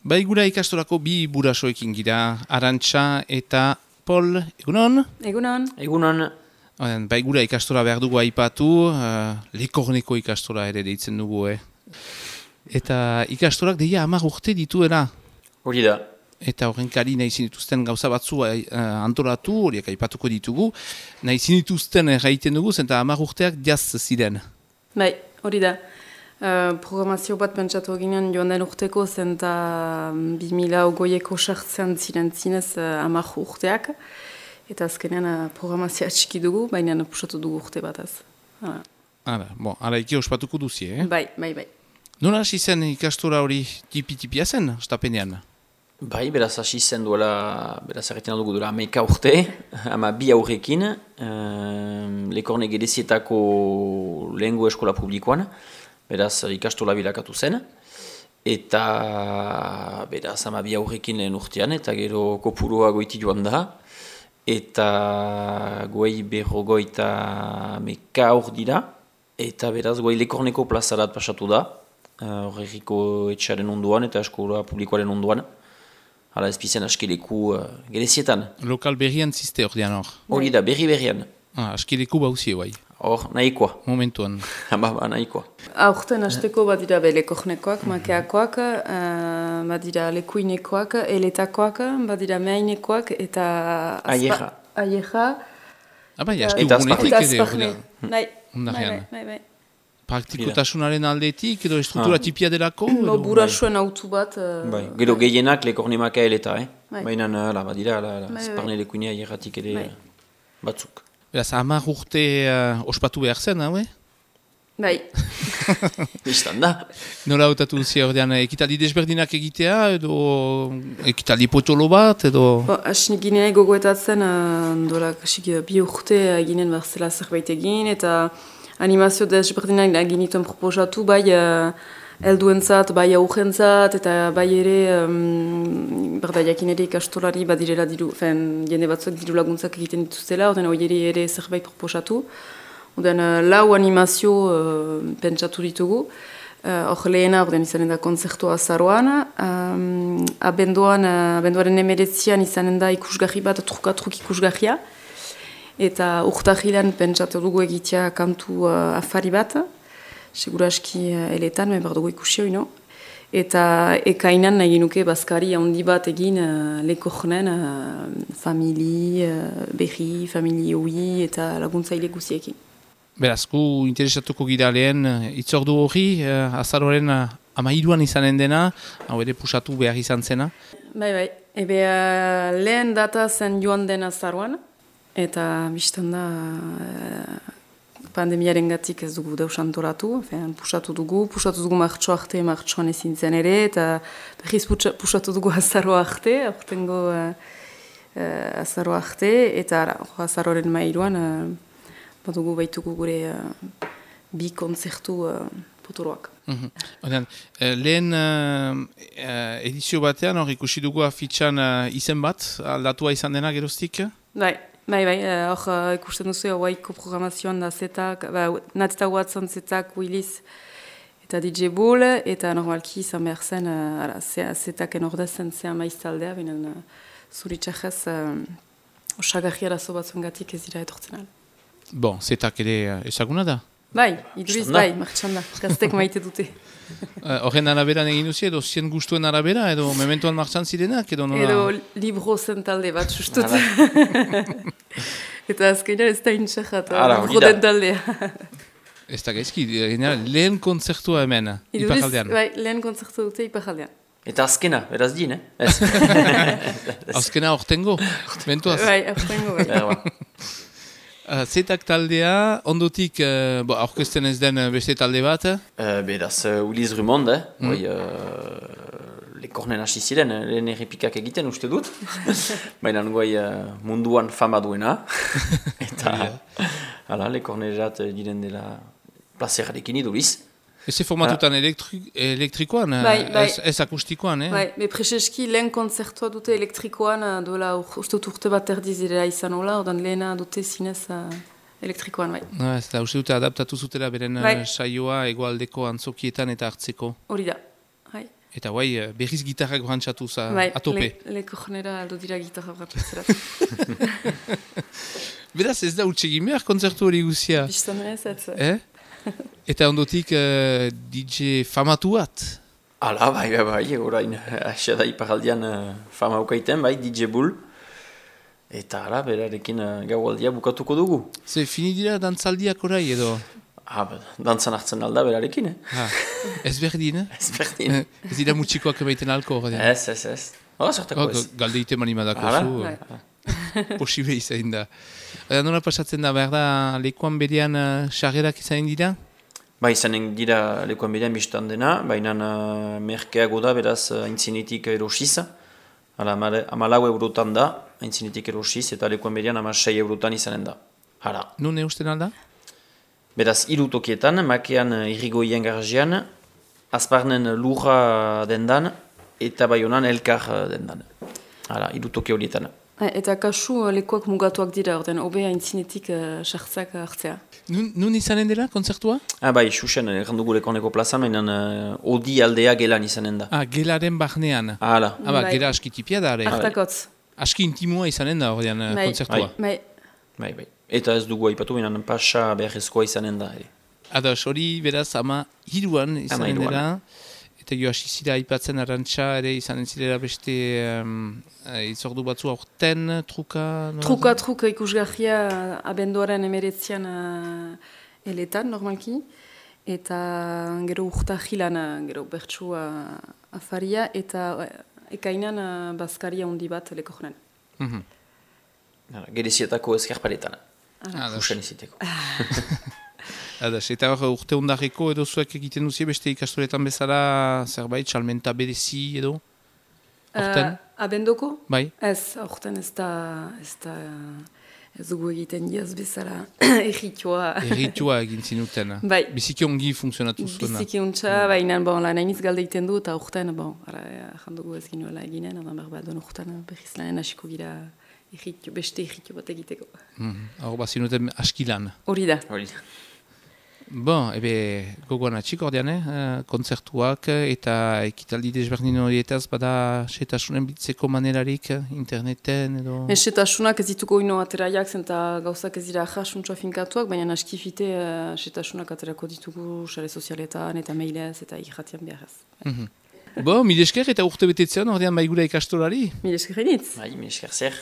Bai gura ikastorako bi burasoekin gira, Arantxa eta Pol, egunon? Egunon. Egunon. Bai gura ikastora behar dugu aipatu, Lekorneko ikastora ere deitzen dugu, Eta ikastorak deia 10 urte dituera. Hori da. Eta horren kari nahi zinituzten gauza batzu antolatu, horiek aipatuko ditugu, nahi zinituzten gaiten dugu, zenta 10 urteak jaz ziren. Bai, hori da. Programazio bat pentsatu ginen joan den urteko zenta 2008ko sartzean ziren zinez 10 urteak. Eta azkenean programazioa txiki dugu, baina pusatu dugu urte bataz. Ara iki ospatuko duzie, Bai. Nola hasi zen ikastora hori tipi-tipia zen, stapenean? Bai, beraz hasi zen duela, beraz erretzen dugu duela 11 urte, 2 aurrekin, Lekorne gerezietako lehengo eskola publikoan, beraz ikastola bilakatu zen, eta beraz 2 aurrekin lehen urtean, eta gero kopurua goiti joan da, eta goei berrogoita 11 aur dira, eta beraz goei Lekorneko plazarat pasatu da, horregiko etxaren onduan eta eskola publikoaren onduan. Hala ezpizen askileku gerezietan. Lokal berrian ziste hor dian hor? Hori da, berri-berrian. Askileku bauzie bai? Hor, nahikoa. Momentuan. Nahikoa. Aurten hasteko badira Lekornekoak, makeakoak, badira lekuinekoak, eletakoak, badira meainekoak eta... Aieja. Bai, aski ugunetik ere hor dian. Bai. Praktikotasunaren aldetik edo estruktura tipia delako? Burasuen autu bat. Gero gehienak Lekorne makaeleta, baina badira, esparne lekuinea aierratik ere batzuk. Beraz, 10 urte ospatu behar zen, haue? Bai. Bistan da. Nola hautatu duzia ordean, ekitaldi desberdinak egitea, edo ekitaldi potolo bat, edo... Asni ginen gogoetatzen, bi urte ginen berzela zerbait egin, eta animazio desberdinak ginituen proposatu, bai helduentzat, bai aurrentzat, eta bai ere, jakin ere ikastolari badirela jende batzuek diru laguntzak egiten dituztela, ordean hori ere zerbait proposatu. Ordean 4 animazio pentsatu ditugu. Hor lehena, ordean izanen da konzertua azaroan. Abenduaren 19 izanen da ikusgarri bat, truk ikusgarria. Eta urtahilan pentsatu dugu egitea kantu afari bat. Seguraski eletan, behar dugu ikusi hori, no? Eta ekainan nahi nuke bazkari handi bat egin Lekornen famili, berri, famili hui eta laguntzaile guziekin. Beraz, gu interesatuko gira lehen itzordu hori, azaroaren 13an izanen dena, hau ere pusatu behar izan zena. Bai. Lehen data zen joan den azaroan, eta biztan da pandemiaren gatik ez dugu deus antolatu, pusatu dugu martxo arte, martxoan ezin zen ere, eta berriz pusatu dugu azaro arte, aurtengo azaro arte, eta azaroren mairuan badugu baitugu gure bi konzertu potoroak. Lehen edizio batean hor ikusi dugu afitxan izen bat, aldatua izan dena geroztik? Bai, hor ikusten duzu hauaiko programazioan da zetak, Natzta Watson zetak, Willis eta DJ Bull, eta normalki izan behar zen, zetaken ordezen zean maiztaldea, binen zuritxajez osagarri arazo batzuen gatik ez dira etortzen al. Zetak ere ezaguna da? Bai, iduriz bai, martxan da, gaztek maite dute. Horren araberan egin duzi, edo zien guztuen arabera, edo mementoan martxan zirenak, edo nola? Edo libro zen talde bat, sustut. Eta azkenean ez da intxajat, libro den taldea. Ez da gaizki, lehen konzertua hemen, Iparraldean. Bai, lehen konzertua dute Iparraldean. Eta azkena, beraz din, Azkena hortengo, mentuaz. Bai, hortengo, bai. Zetak taldea, ondotik aurkezten ez den beste talde bat? Beraz, Uliz Rumond, Lekornen hasi ziren, lehen errepikak egiten uste dut. Baina munduan fama duena. Eta Lekornerat diren dela plazerarekin iduriz. Ez formatutan elektrikoan, ez akustikoan, Bai, prezeski lehen konzertua dute elektrikoan, dola uste urte bat erdizirela izan hola, ordan lehena dute zinez elektrikoan, bai. Ez da, uste dute adaptatu zutela beren saioa egoaldeko antzokietan eta hartzeko. Hori da, bai. Eta guai, berriz gitarrak brantzatu Bai, atope. leko jonera aldo dira gitarra brantzatzera. Beraz ez da utxegin behar kontzertu hori guzia. Bistan ez, Eta ondotik DJ famatu bat. Hala, bai, orain, hasia da iparaldian fama ukaiten, bai, DJ Bull. Eta hala, berarekin gaualdia bukatuko dugu. Ze fini dira dantzaldiak orai edo? Dantzan hartzen alda berarekin, Ez berdin, Ez berdin. Ez dira mutxikoak emaiten alko. Ez. Zertako ez. Galdeite manimadako zu. Posible izan da. Nola pasatzen da, behar da, lekuan berean sarrerak izan dira? Izanen dira lekuan berean biztan dena, baina merkeago da, beraz, aintzinetik erosiz. 14 € da, aintzinetik erosiz, eta lekuan berean 16 € izanen da. Hala. Nun eusten alda? Beraz, 3 tokietan, makean irrigoien garajean, azparnen lurra dendan, eta baionan elkar dendan. Hala, 3 toki horietan. Eta kasu lekuak mugatuak dira, orden, obe aintzinetik sartzak hartzea. Nun izanen dela, kontzertua? Xuxen, errandugu lekoneko plazan, mainan odi aldea gelan izanen da. Gelaren barnean. Hala. Gela askitipia da, are. Artakotz. Aski intimua izanen da, ordean, kontzertua. Bai. Eta ez dugu aipatu, mainan pasa beharrezkoa izanen da. Ados, hori beraz, 13 izanen dela. Eta jo asizira aipatzen arantxa ere izanen zirela beste itzordu batzu aurten, truka? Truka ikusgarria abenduaren 19 eletan, normalki. Eta gero urta jilan, gero bertsu afaria, eta ekainan bazkaria handi bat leko jonen. Gerezietako ezkerparetan. Fusen iziteko. Eta urte ondareko edo zuek egiten duzie beste ikastoretan bezala zerbait, salmenta berezi edo? Abendoko? Bai. Ez, aurten ez dugu egiten diaz bezala erritua. Erritua egin zinuten. Bai. Biziki ongi funtzionatu zuena. Biziki ontsa, baina nainiz galde egiten du eta aurten, jandugu ez ginuela eginen, don urten berriz lanen hasiko gira beste erritu bat egiteko. Hor bazinuten askilan. Hori da. Gogoan atxik ordean, kontzertuak eta ekitaldi desberdin horietaz bada setasunen bitzeko manerarik interneten edo? Setasunak ez dituko ino ateraiak zen eta gauzak ez dira jasuntsua finkatuak, baina askifite setasunak aterako ditugu sare sozialetan eta mailez eta irratian beharrez. Mil esker eta urte betetzean ordean baigura ikastolari? Mil esker hainitz. Mil esker zer.